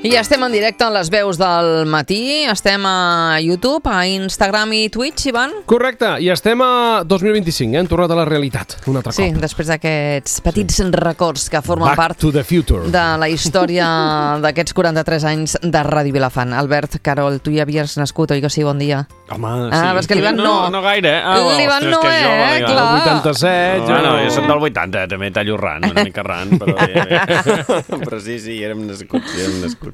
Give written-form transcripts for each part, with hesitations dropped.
I estem en directe a les veus del matí, estem a YouTube, a Instagram i Twitch, Ivan? Correcte, i estem a 2025, hem tornat a la realitat un altre cop. Sí, després d'aquests petits records que formen Back part to the future de la història d'aquests 43 anys de Ràdio Vilafant. Albert, Carol, tu ja havies nascut, oi que sí? Bon dia. Home, sí. Ah, és que l'Ivan no. No gaire, L'Ivan no, clar. El 87, Bueno, jo soc del 80, també tallo ran, una mica ran, però però sí, érem nascuts.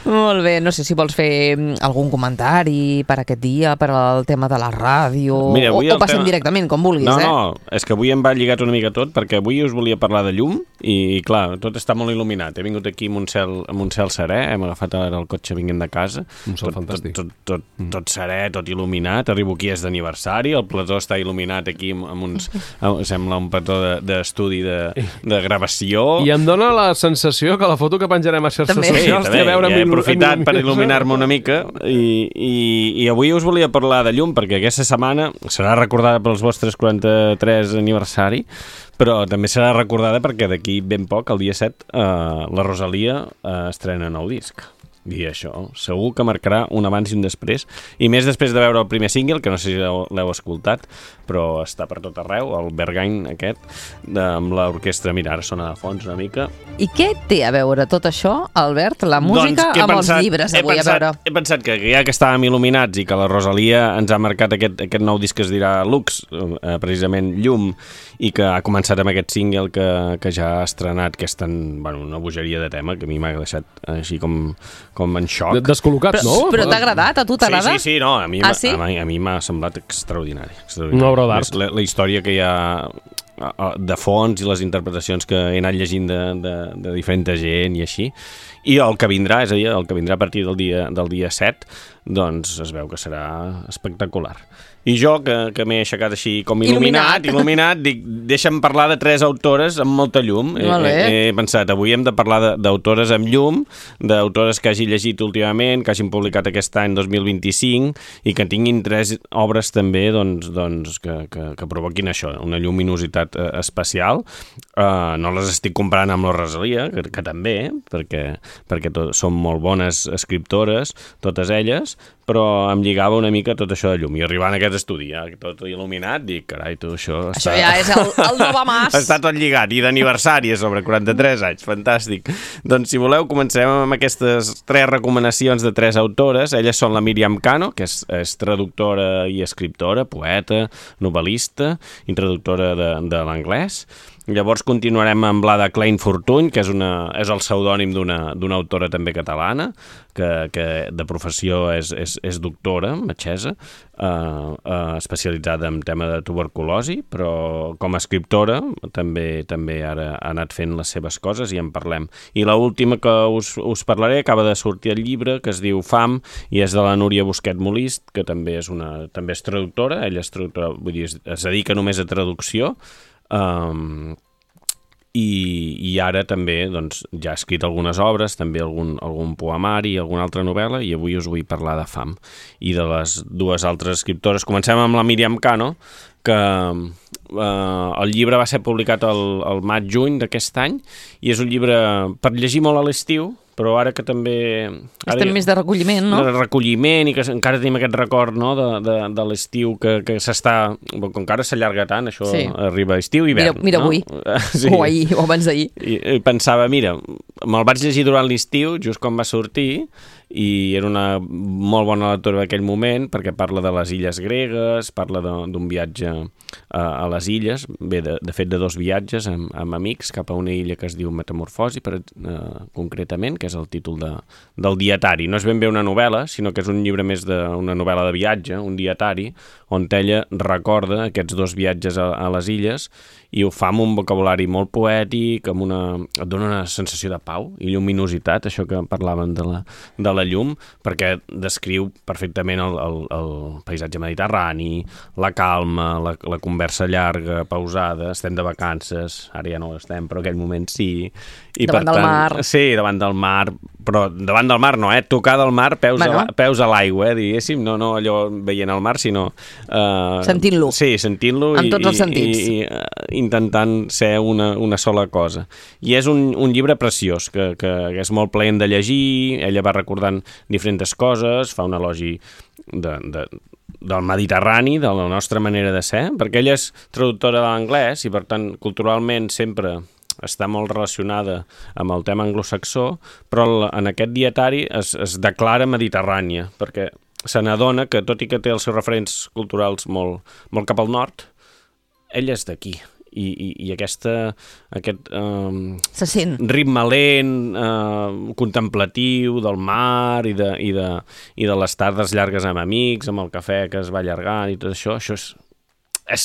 Molt bé, no sé si vols fer algun comentari per aquest dia, per al tema de la ràdio, Mira, o passem directament, com vulguis, No, és que avui em va lligat una mica tot, perquè avui us volia parlar de llum, i clar, tot està molt il·luminat. He vingut aquí amb un cel serè, hem agafat ara el cotxe vinguent de casa. Un cel fantàstic. Tot serè, tot il·luminat, arribo aquí és d'aniversari, el plató està il·luminat aquí amb uns... sembla un plató d'estudi de gravació. I em dóna la sensació que la foto que penjarem a xarxes socials té a veure amb he aprofitat per il·luminar-me una mica i avui us volia parlar de llum perquè aquesta setmana serà recordada pels vostres 43 aniversari, però també serà recordada perquè d'aquí ben poc, el dia 7, la Rosalia estrena nou disc. I això segur que marcarà un abans i un després, i més després de veure el primer single, que no sé si l'heu escoltat, però està per tot arreu, el Berghain aquest, amb l'orquestra, mira, ara sona de fons una mica. I què té a veure tot això, Albert, la música amb els llibres avui a veure? He pensat que ja que estàvem il·luminats i que la Rosalia ens ha marcat aquest nou disc que es dirà Lux, precisament Llum, i que ha començat amb aquest single que ja ha estrenat, que és una bogeria de tema que a mi m'ha deixat així com en xoc. Descol·locat, no? Però t'ha agradat? A tu t'agrada? Sí, no, a mi m'ha semblat extraordinari. Una obra d'art. La història que hi ha de fons i les interpretacions que he anat llegint de diferent gent i així. I el que vindrà, és a dir, el que vindrà a partir del dia 7, doncs es veu que serà espectacular. I jo, que m'he aixecat així com il·luminat, dic, deixa'm parlar de 3 autores amb molta llum. He pensat, avui hem de parlar d'autores amb llum, d'autores que hagi llegit últimament, que hagin publicat aquest any 2025, i que tinguin 3 obres també que provoquin això, una lluminositat especial. No les estic comparant amb la Rosalia, que també, perquè són molt bones escriptores, totes elles, però em lligava una mica tot això de llum. I arribant a aquest estudi, tot il·luminat, dic, carai, tu, això ja és el Novamàs. Està tot lligat, i d'aniversari, sobre 43 anys, fantàstic. Doncs, si voleu, comencem amb aquestes 3 recomanacions de 3 autores. Elles són la Míriam Cano, que és traductora i escriptora, poeta, novel·lista i traductora de l'anglès. Llavors continuarem amb la de Klein Fortuny, que és el pseudònim d'una autora també catalana, que de professió és doctora, metgessa, especialitzada en tema de tuberculosi, però com a escriptora també ara ha anat fent les seves coses i en parlem. I l'última que us parlaré acaba de sortir el llibre, que es diu Fam, i és de la Núria Busquet Molist, que també és traductora, ella és traductora, vull dir, es dedica només a traducció, i ara també ja ha escrit algunes obres, també algun poemari, alguna altra novel·la, i avui us vull parlar de Fam. I de les 2 altres escriptores, comencem amb la Míriam Cano, que el llibre va ser publicat el maig-juny d'aquest any, i és un llibre per llegir molt a l'estiu, però ara que també... Estem més de recolliment, no? De recolliment, i que encara tenim aquest record, no?, de l'estiu que s'està... Com que ara s'allarga tant, això arriba a estiu i hivern. Mira avui, sí. O ahir, o abans d'ahir. I pensava, mira, me'l vaig llegir durant l'estiu, just quan va sortir, i era una molt bona lectura d'aquell moment, perquè parla de les illes gregues, parla d'un viatge a les illes, bé, de fet de 2 viatges amb amics cap a una illa que es diu Metamorfosi, concretament, que és el títol del dietari. No és ben bé una novel·la, sinó que és un llibre més d'una novel·la de viatge, un dietari, on ella recorda aquests 2 viatges a les illes i ho fa amb un vocabulari molt poètic, et dona una sensació de pau i lluminositat, això que parlàvem de la llum, perquè descriu perfectament el paisatge mediterrani, la calma, la conversa llarga, pausada, estem de vacances, ara ja no estem, però en aquell moment sí. Davant del mar. Sí, davant del mar, però davant del mar no, tocar del mar, peus a l'aigua, diguéssim, no allò veient el mar, sinó... Sentint-lo. Sí, sentint-lo amb tots els sentits. I intentant ser una sola cosa. I és un llibre preciós, que és molt plaent de llegir, ella va recordant diferents coses, fa un elogi del Mediterrani, de la nostra manera de ser, perquè ella és traductora de l'anglès i, per tant, culturalment sempre està molt relacionada amb el tema anglosaxó, però en aquest dietari es declara mediterrània, perquè se n'adona que, tot i que té els seus referents culturals molt cap al nord, ella és d'aquí. I aquest se sent ritme lent, contemplatiu del mar i de les tardes llargues amb amics, amb el cafè que es va allargant i tot això és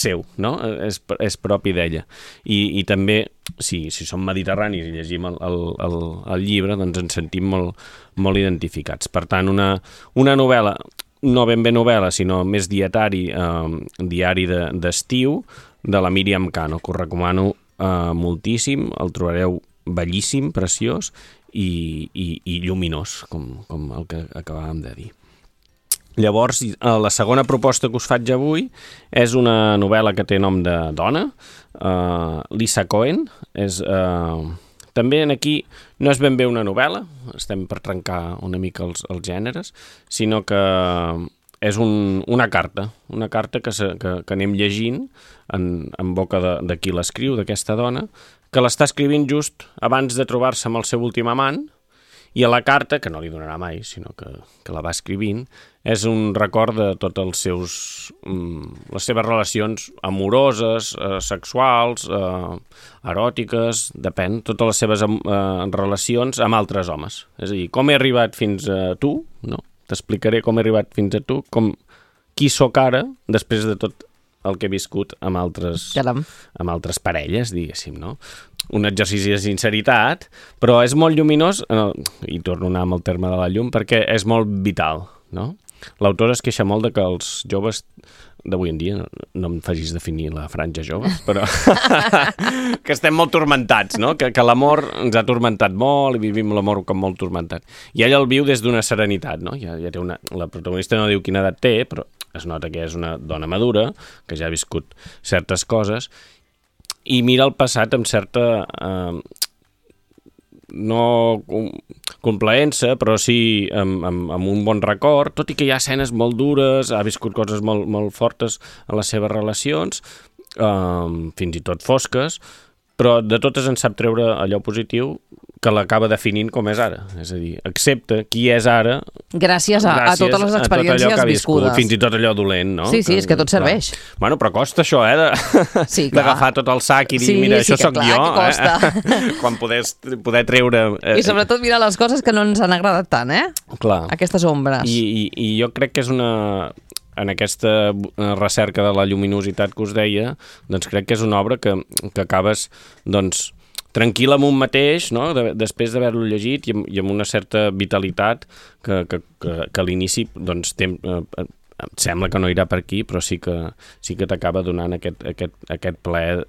seu, no? És propi d'ella. I també, si som mediterranis i llegim el llibre, doncs ens sentim molt identificats. Per tant, una novel·la, no ben bé novel·la, sinó més dietari d'estiu, de la Míriam Cano, que us recomano moltíssim, el trobareu bellíssim, preciós i lluminós, com el que acabàvem de dir. Llavors, la segona proposta que us faig avui és una novel·la que té nom de dona, Lisa Cohen. També aquí no és ben bé una novel·la, estem per trencar una mica els gèneres, sinó que és una carta que anem llegint en boca de qui l'escriu, d'aquesta dona, que l'està escrivint just abans de trobar-se amb el seu últim amant, i a la carta, que no li donarà mai, sinó que la va escrivint, és un record de totes les seves relacions amoroses, sexuals, eròtiques, depèn, totes les seves relacions amb altres homes. És a dir, com he arribat fins a tu, no? T'explicaré com he arribat fins a tu, qui sóc ara, després de tot el que he viscut amb altres parelles, diguéssim, no? Un exercici de sinceritat, però és molt lluminós, i torno a anar amb el terme de la llum, perquè és molt vital, no? L'autora es queixa molt de que els joves d'avui en dia, no em facis definir la franja joves, però que estem molt turmentats, no? Que l'amor ens ha turmentat molt i vivim l'amor com molt turmentat. I ella el viu des d'una serenitat, no? Ja té la protagonista no diu quina edat té, però es nota que és una dona madura, que ja ha viscut certes coses, i mira el passat amb certa no complaença, però sí amb un bon record, tot i que hi ha escenes molt dures, ha viscut coses molt fortes en les seves relacions, fins i tot fosques, però de totes en sap treure allò positiu que l'acaba definint com és ara. És a dir, accepta qui és ara gràcies a totes les experiències viscudes. Fins i tot allò dolent, no? Sí, és que tot serveix. Bueno, però costa això, d'agafar tot el sac i dir, mira, això sóc jo. Quan poder treure... I sobretot mirar les coses que no ens han agradat tant, Clar. Aquestes ombres. I jo crec que és en aquesta recerca de la lluminositat que us deia, doncs crec que és una obra que acabes, doncs, tranquil amb un mateix, no? Després d'haver-lo llegit i amb una certa vitalitat que a l'inici doncs, em sembla que no irà per aquí, però sí que t'acaba donant aquest plaer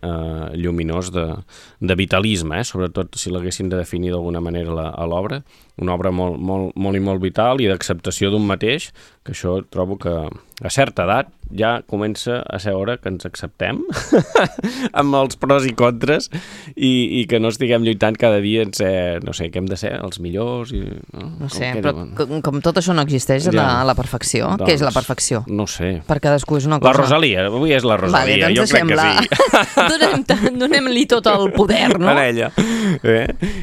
lluminós de vitalisme, sobretot si l'haguéssim de definir d'alguna manera a l'obra, una obra molt i molt vital i d'acceptació d'un mateix, que això trobo que a certa edat ja comença a ser hora que ens acceptem amb els pros i contres i que no estiguem lluitant cada dia en ser, no sé, què hem de ser, els millors no sé, però com tot això no existeix a la perfecció, què és la perfecció? No sé. Per cadascú és una cosa. La Rosalia, avui és la Rosalia, jo crec que sí. Donem-li tot el poder, no? Per ella.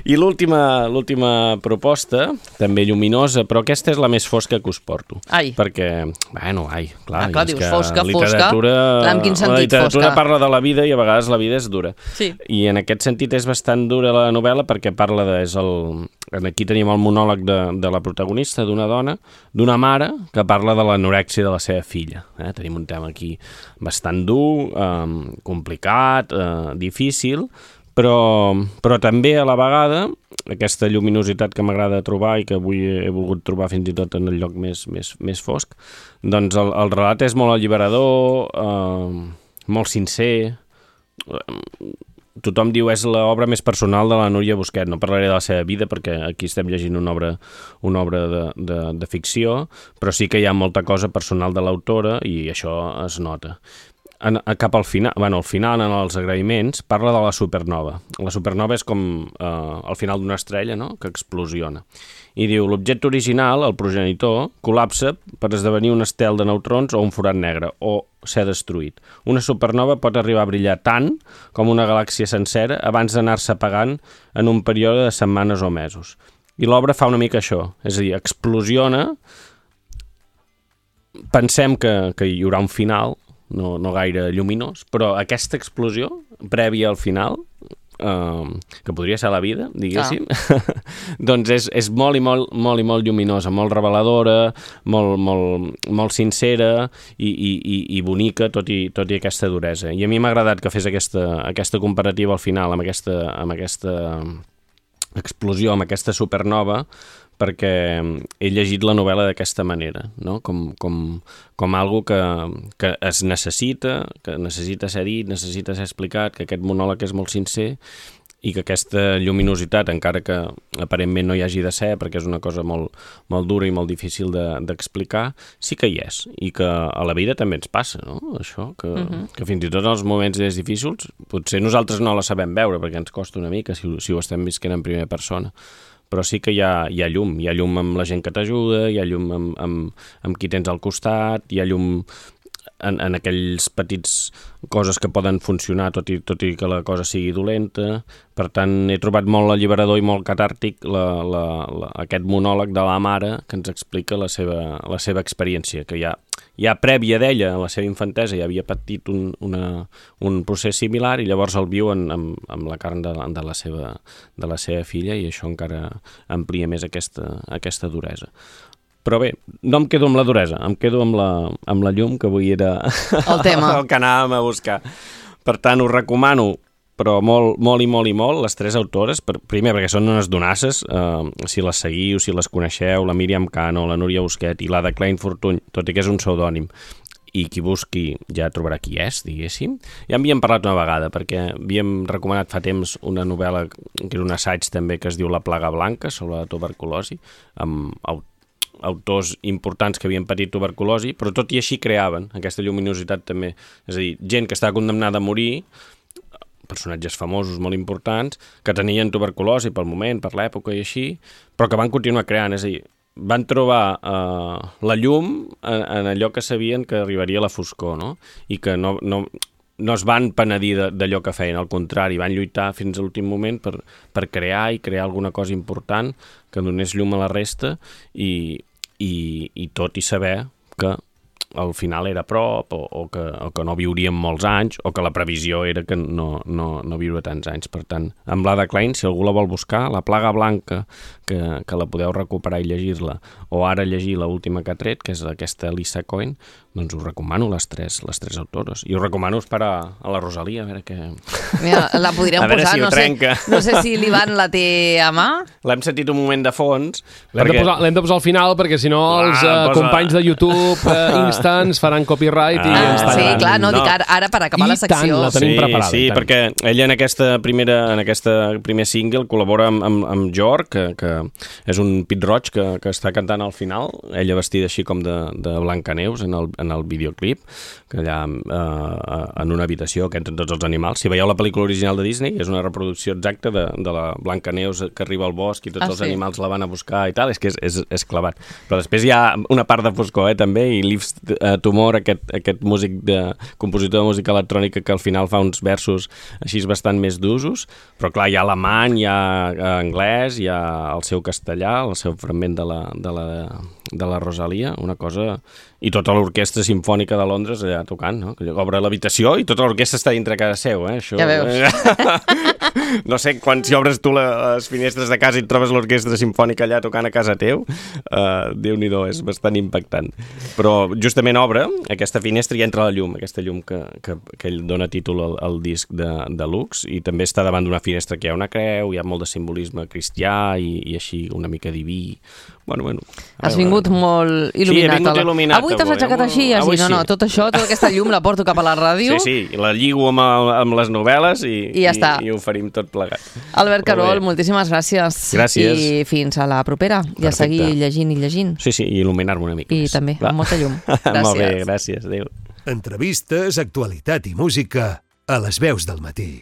I l'última proposta, també lluminosa, però aquesta és la més fosca que us porto. Perquè, clar, dius fosca, en quin sentit la literatura fosca? parla de la vida i a vegades la vida és dura. Sí. I en aquest sentit és bastant dura la novel·la perquè parla aquí tenim el monòleg de la protagonista, d'una dona, d'una mare que parla de l'anorèxia de la seva filla. Tenim un tema aquí bastant dur, complicat, difícil, però també a la vegada aquesta lluminositat que m'agrada trobar i que avui he volgut trobar fins i tot en el lloc més fosc, doncs el relat és molt alliberador, molt sincer, tothom diu és l'obra més personal de la Núria Busquet. No parlaré de la seva vida perquè aquí estem llegint una obra de ficció, però sí que hi ha molta cosa personal de l'autora i això es nota. Cap al final, al final, en els agraïments, parla de la supernova. La supernova és com el final d'una estrella, no?, que explosiona. I diu, l'objecte original, el progenitor, col·lapsa per esdevenir un estel de neutrons o un forat negre, o ser destruït. Una supernova pot arribar a brillar tant com una galàxia sencera abans d'anar-se apagant en un període de setmanes o mesos. I l'obra fa una mica això, és a dir, explosiona, pensem que hi haurà un final, no gaire lluminós, però aquesta explosió, prèvia al final, que podria ser la vida, diguéssim, doncs és molt i molt lluminosa, molt reveladora, molt sincera i bonica, tot i aquesta duresa. I a mi m'ha agradat que fes aquesta comparativa al final amb aquesta explosió, amb aquesta supernova, perquè he llegit la novel·la d'aquesta manera, no? Com algo que es necessita, que necessita ser dit, necessita ser explicat, que aquest monòleg és molt sincer i que aquesta lluminositat, encara que aparentment no hi hagi de ser, perquè és una cosa molt dura i molt difícil d'explicar, sí que hi és, i que a la vida també ens passa, no? Això, que fins i tot en els moments més difícils, potser nosaltres no la sabem veure, perquè ens costa una mica si ho estem visquent en primera persona, però sí que hi ha llum amb la gent que t'ajuda, hi ha llum amb qui tens al costat, hi ha llum en aquells petits coses que poden funcionar tot i que la cosa sigui dolenta. Per tant, he trobat molt alliberador i molt catàrtic aquest monòleg de la mare que ens explica la seva experiència, que ja prèvia d'ella, a la seva infantesa, ja havia patit un procés similar i llavors el viu amb la carn de la seva filla, i això encara amplia més aquesta duresa. Però bé, no em quedo amb la duresa, em quedo amb la llum, que avui era el tema. El que anàvem a buscar. Per tant, us recomano, però molt, les tres autores, primer perquè són unes donasses, si les seguiu, si les coneixeu, la Míriam Cano, la Núria Busquet i l'Ada Klein Fortuny, tot i que és un pseudònim, i qui busqui ja trobarà qui és, diguéssim. Ja havíem parlat una vegada, perquè havíem recomanat fa temps una novel·la, que era un assaig també, que es diu La plaga blanca, sobre la tuberculosi, amb autors importants que havien patit tuberculosi, però tot i així creaven aquesta lluminositat també. És a dir, gent que estava condemnada a morir, personatges famosos molt importants, que tenien tuberculosi pel moment, per l'època i així, però que van continuar creant, és a dir, van trobar la llum en allò que sabien que arribaria a la foscor, no? I que no es van penedir d'allò que feien, al contrari, van lluitar fins a l'últim moment per crear alguna cosa important que donés llum a la resta i tot i saber que al final era a prop o que no viuríem molts anys o que la previsió era que no viure tants anys. Per tant, amb l'Ada Klein, si algú la vol buscar, La plaga blanca, que la podeu recuperar i llegir-la, o ara llegir l'última que ha tret, que és aquesta Lisa Cohen, doncs us recomano les tres autores. I us recomano esperar a la Rosalia, a veure què... Mira, la podríem posar, si no sé si l'Ivan la té a mà. L'hem sentit un moment de fons. L'hem de posar al final, perquè si no els companys de YouTube Instants faran copyright i ens tallaran. Sí, clar, no, dic ara per acabar la secció. I tant, la tenim preparada. Sí, perquè ella en aquest primer single col·labora amb Jorg, que és un pit roig que està cantant al final, ella vestida així com de Blancaneus en el videoclip, que allà en una habitació que entren tots els animals. Si veieu la pel·lícula original de Disney, és una reproducció exacta de la Blancaneus que arriba al bosc i tots els animals la van a buscar i tal, és que és clavat. Però després hi ha una part de foscor, també, i Liv Tumor, aquest compositor de música electrònica que al final fa uns versos així bastant més d'usos, però clar, hi ha alemany, hi ha anglès, hi ha el seu castellà, el seu fragment de la Rosalia, una cosa... I tota l'orquestra simfònica de Londres allà tocant, no? Que obre l'habitació i tota l'orquestra està dintre casa seu, això... Ja veus. No sé, si obres tu les finestres de casa i et trobes l'orquestra simfònica allà tocant a casa teu, Déu-n'hi-do, és bastant impactant. Però justament obre aquesta finestra i entra la llum, aquesta llum que dona títol al disc de Lux, i també està davant d'una finestra que hi ha una creu, hi ha molt de simbolisme cristià i així una mica diví. Bueno. Has vingut molt il·luminat. Sí, he vingut il·luminat. Avui t'has aixecat així, tot això, tota aquesta llum la porto cap a la ràdio. Sí, i la lligo amb les novel·les i ja està. I ho farim tot plegat. Albert Carol, moltíssimes gràcies. Gràcies. I fins a la propera. I a seguir llegint i llegint. Sí, i il·luminar-me una mica més. I també, amb molta llum. Gràcies. Molt bé, gràcies. Adéu. Entrevistes, actualitat i música a les veus del matí.